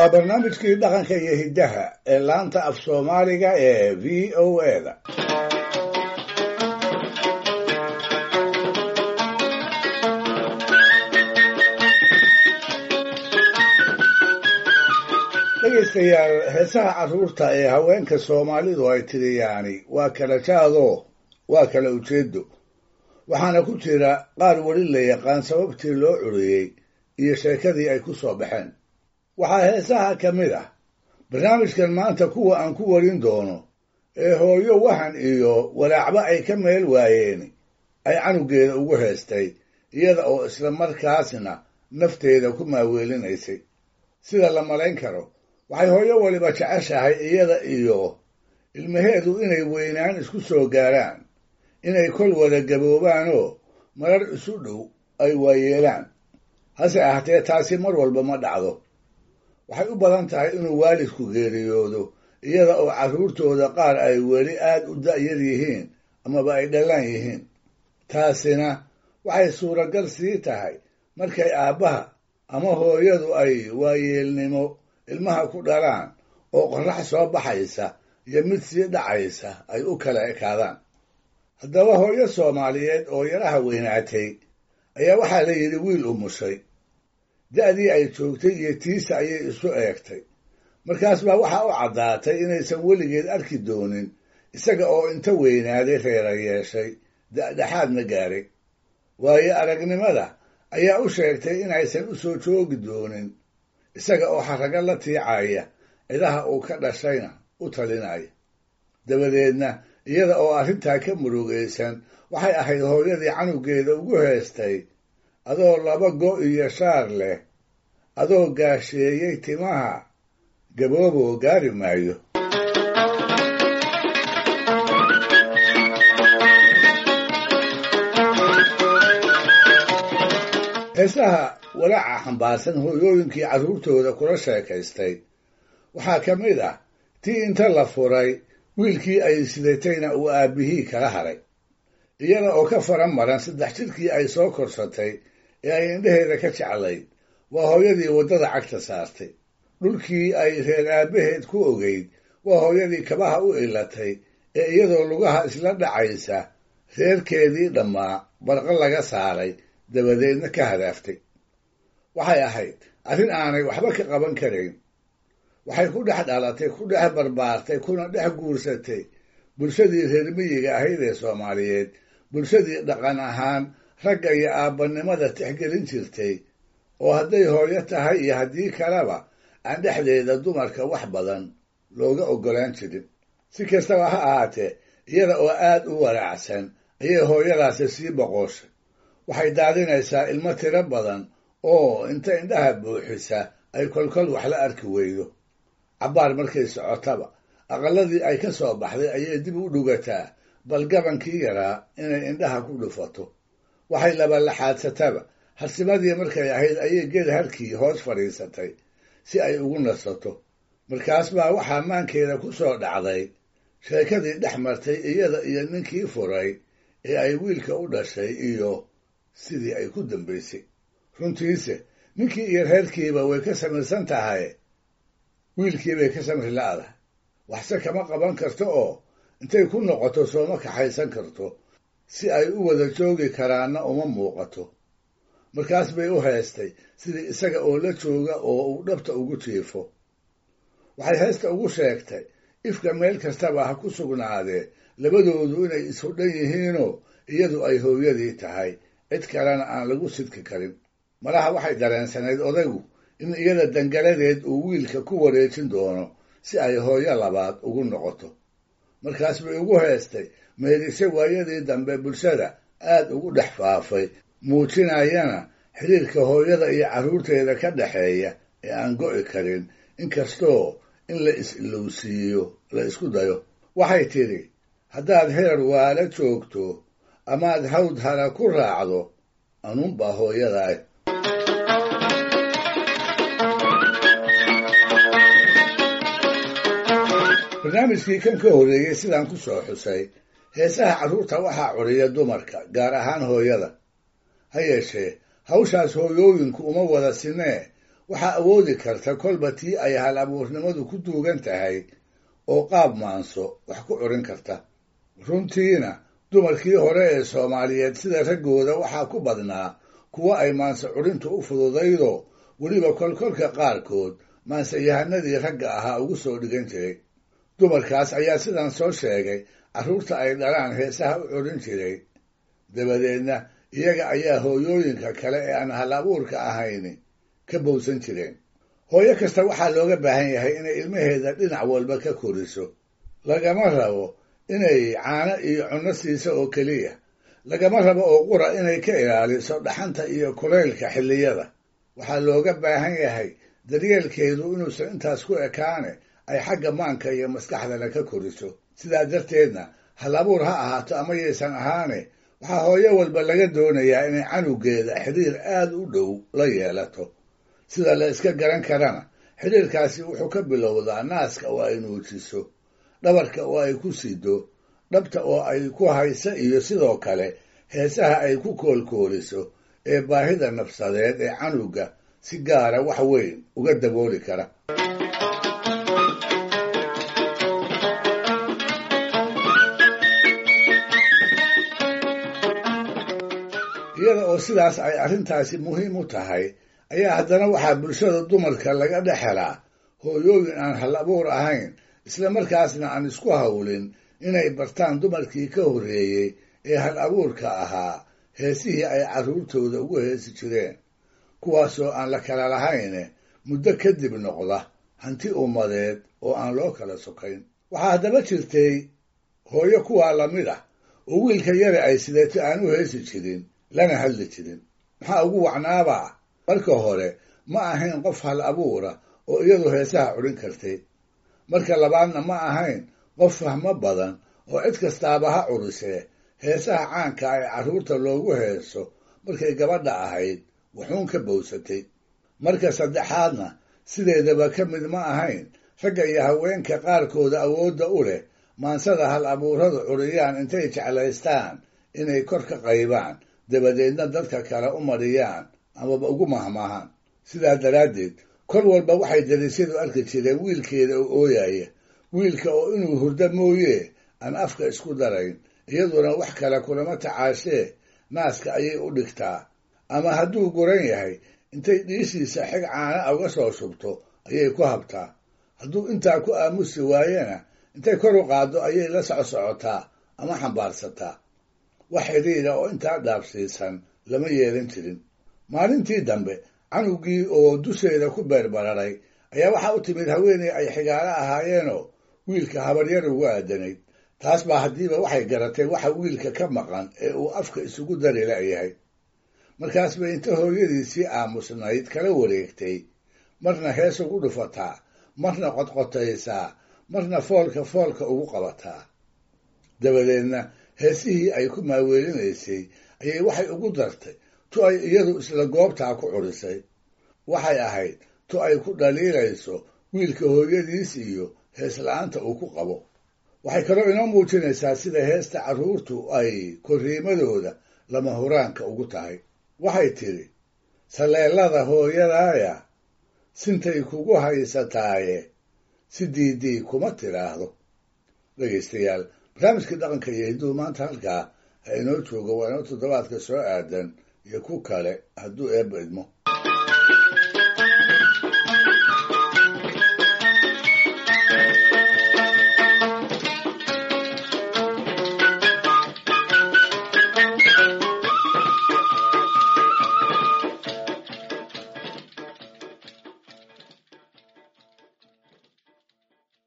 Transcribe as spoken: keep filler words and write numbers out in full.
Waa barnaamijkii dhaqanka iyo hiddaha ee laanta af Soomaaliga ee V O A da. Dhegaystayaal, heesaha carruurta ee haweenka Soomaalidu ay tiriyaani waa kala jaadoo waa kala ujeedo, waxaana ku jira qaar weli la yaqaan sababtii loo curiyey iyo sheekadii ay ku soo baxeen. Waxaa heesaha ka mid ah barnaamijkan maanta kuwa aan ku warin doono ee hooyo wahan iyo walaacba ay ka meel waayeen ay canugeeda ugu heestay, iyada oo isla markaasna nafteeda ku maaweelinaysay. Sida la malayn karo, waxay hooyo waliba jeceshahay iyada iyo ilmaheedu inay weynaan isku soo gaaraan, inay kol wada gaboobaanoo marar isu dhow ay waayeelaan. Hase ahaatee taasi mar walba ma dhacdo. Waxay u badan tahay inuu waalidku geeriyoodo iyada oo carruurtooda qaar ay weli aad u da'yar yihiin amaba ay dhallaan yihiin. Taasina waxay suuragal sii tahay markay aabbaha ama hooyadu ay waayeelnimo ilmaha ku dhalaan oo qorrax soo baxaysa iyo mid sii dhacaysa ay u kala ekaadaan. Haddaba hooyo Soomaaliyeed oo yaraha weynaatay ayaa waxaa la yidhi wiil umushay. Da'dii ay joogtay iyo tiisa ayay isu eegtay. Markaas baa waxaa u caddaatay inaysan weligeed arki doonin isaga oo inta weynaaday reera yeeshay, da'dhexaadna gaaray. Waayo aragnimada ayaa u sheegtay inaysan u soo joogi doonin isaga oo xarrago la tiicaya, cidaha uu ka dhashayna u talinaya. Dabadeedna iyada oo arrintaa ka murugaysan waxay ahayd hooyadii canugeeda ugu heestay: adoo laba go' iyo shaar leh, adoo gaasheeyey timaha, gabooboo gaari maayo. Heesaha walaaca xambaarsan hooyooyinkii carruurtooda kula sheekaystay waxaa ka mid ah tii inta la furay wiilkii ay sidatayna uu aabbihii kala haray, iyada oo ka faran maran saddex jirkii ay soo korsatay ee ay indhaheeda ka jeclayd. Waa hooyadii waddada cagta saartay, dhulkii ay reer aabbaheed ku ogeyd. Waa hooyadii kabaha u ilatay ee iyadoo lugaha isla dhacaysa reerkeedii dhammaa barqa laga saaray, dabadeedna ka hadaaftay. Waxay ahayd arrin aanay waxba ka qaban karayn. Waxay ku dhex dhalatay, ku dhex barbaartay, kuna dhex guursatay bulshadii reer miyiga ahayd ee Soomaaliyeed, bulshadii dhaqan ahaan ragga iyo aabbanimada tixgelin jirtay, oo hadday hooyo tahay iyo haddii kaleba aan dhexdeeda dumarka wax badan looga oggolaan jirin. Si kastaba ha ahaatee, iyada oo aad u walaacsan ayay hooyadaasi sii boqoshay. Waxay daadinaysaa ilmo tiro badan oo inta indhaha buuxisa ay kolkol wax la arki weydo. Cabbaar markay socotaba aqalladii ay ka soo baxday ayay dib u dhugataa bal gabankii yaraa inay indhaha ku dhufato. Waxay labalaxaadsataba harsimadii markay ahayd ayay geed harkii hoos fadhiisatay si ay ugu nasato. Markaas baa waxaa maankeeda ku soo dhacday sheekadii dhex martay iyada iyo ninkii furay ee ay wiilka u dhashay iyo sidii ay ku dambaysay. Runtiise ninkii iyo reerkiiba way ka samirsan tahay, wiilkii bay ka samri la'dahay. Waxse kama qaban karto oo intay ku noqoto sooma kaxaysan karto, si ay u wada joogi karaanna uma muuqato. Markaas bay u heestay sidii isaga oo la jooga oo uu dhabta ugu jiifo. Waxay heesta ugu sheegtay ifka meel kastaba ha ku sugnaadee labadoodu inay isu dhan yihiinoo iyadu ay hooyadii tahay, cid kalena aan lagu sidki karin. Malaha waxay dareensanayd odaygu in iyada dangaladeed uu wiilka ku wareejin doono si ay hooyo labaad ugu noqoto. Markaas bay ugu heestay meerise waayadii dambe bulshada aad ugu dhex faafay, muujinayana xiriirka hooyada iyo carruurteeda ka dhexeeya ee aan go'i karin, inkastoo in la is-ilowsiiyo la isku dayo. Waxay tidhi: haddaad heer waala joogto amaad hawd hara ku raacdo, anuunbaa hooyadaah. Barnaamijkii kan ka horreeyey sidaan ku soo xusay, heesaha carruurta waxaa curiya dumarka, gaar ahaan hooyada. Ha yeeshee hawshaas hooyooyinku uma wada sinee. Waxaa awoodi karta kolba tii ay hal abuurnimadu ku duugan tahay oo qaab maanso wax ku curin karta. Runtiina dumarkii hore ee Soomaaliyeed sida raggooda waxaa ku badnaa kuwa ay maanso curintu u fududaydo, weliba kolkolka qaarkood maansayahanadii ragga ahaa ugu soo dhigan jiray. Dumarkaas ayaa sidan soo sheegay carruurta ay dhalaan heesaha u curin jiray. Dabadeedna iyaga ayaa hooyooyinka kale ee aan hal abuurka ahayni ka bowsan jireen. Hooyo kasta waxaa looga baahan yahay inay ilmaheeda dhinac walba ka koriso. Lagama rabo inay caano iyo cunno siiso oo keliya, lagama rabo oo qura inay ka ilaaliso dhaxanta iyo kulaylka xilliyada. Waxaa looga baahan yahay daryeelkeedu inuusan intaas ku ekaane ay xagga maanka iyo maskaxdana ka koriso. Sidaa darteedna hal abuur ha ahaato ama yaysan ahaane, waxaa hooyo walba laga doonayaa inay canugeeda xidhiir aad u dhow la yeelato. Sida la iska garan karana, xidhiirkaasi wuxuu ka bilowdaa naaska oo ay nuujiso, dhabarka oo ay ku sido, dhabta oo ay ku haysa, iyo sidoo kale heesaha ay ku koolkooliso ee baahida nafsadeed ee canuga si gaara wax weyn uga dabooli kara. Iyada oo sidaas ay arrintaasi muhiim u tahay ayaa haddana waxaa bulshada dumarka laga dhex helaa hooyooyin aan hal abuur ahayn, isla markaasna aan isku hawlin inay bartaan dumarkii ka horreeyey ee hal abuurka ahaa heesihii ay carruurtooda ugu heesi jireen, kuwaasoo aan la kala lahayne muddo kadib noqda hanti ummadeed oo aan loo kala sokayn. Waxaa haddaba jirtay hooyo kuwaa lamid ah oo wiilka yare ay sideeto aan u heesi jirin lana hadli jirin. Maxaa ugu wacnaabaa? Marka hore ma ahayn qof hal abuura oo iyadu heesaha curin kartay. Marka labaadna ma ahayn qof fahmo badan oo cid kastaaba ha curisee heesaha caanka ee carruurta loogu heeso markay gabadha ahayd wuxuun ka bowsatay. Marka saddexaadna sideedaba ka mid ma ahayn ragga iyo haweenka qaarkooda awoodda u leh maansada hal abuuradu curiyaan intay jeclaystaan inay kor ka qaybaan, dabadeedna dadka kale u mariyaan amaba ugu mahmaahaan. Sidaa daraaddeed kol walba waxay dariisyadu arki jireen wiilkeeda oo ooyaya, wiilka oo inuu hurdo mooyee aan afka isku darayn, iyaduna wax kale kulama tacaashee naaska ayay u dhigtaa, ama hadduu guran yahay intay dhiishiisa xig caana uga soo shubto ayay ku habtaa. Hadduu intaa ku aamusi waayena intay kor u qaaddo ayay la socsocotaa ama xambaarsataa. Wax xidhiidha oo intaa dhaafsiisan lama yeelan jirin. Maalintii dambe canugii oo dusheeda ku beerbararay ayaa waxaa u timid haweeney ay xigaalo ahaayeenoo wiilka habaryar ugu aadanayd. Taas baa haddiiba waxay garatay waxa wiilka ka maqan ee uu afka isugu dari la'yahay. Markaas bay inta hooyadiisii aamusnayd kala wareegtay, marna hees ugu dhufataa, marna qodqotaysaa, marna foolka foolka ugu qabataa. Dabadeedna heesihii ay ku maaweelinaysay ayay waxay ugu dartay tu ay iyadu isla goobtaa ku curisay. Waxay ahayd tu ay ku dhaliilayso wiilka hooyadiis iyo hees la'aanta uu ku qabo. Waxay kaloo inoo muujinaysaa sida heesta carruurtu ay korriimadooda lama huraanka ugu tahay. Waxay tidhi, saleelada hooyadaaya sintay kugu haysataaye si diidii kuma tidhaahdo. Dhegaystayaal, barnaamijkii dhaqanka iyo hidduhu maanta halkaa ha inoo joogo. Waa inoo toddobaadka soo aadan iyo ku kale hadduu eebba idmo.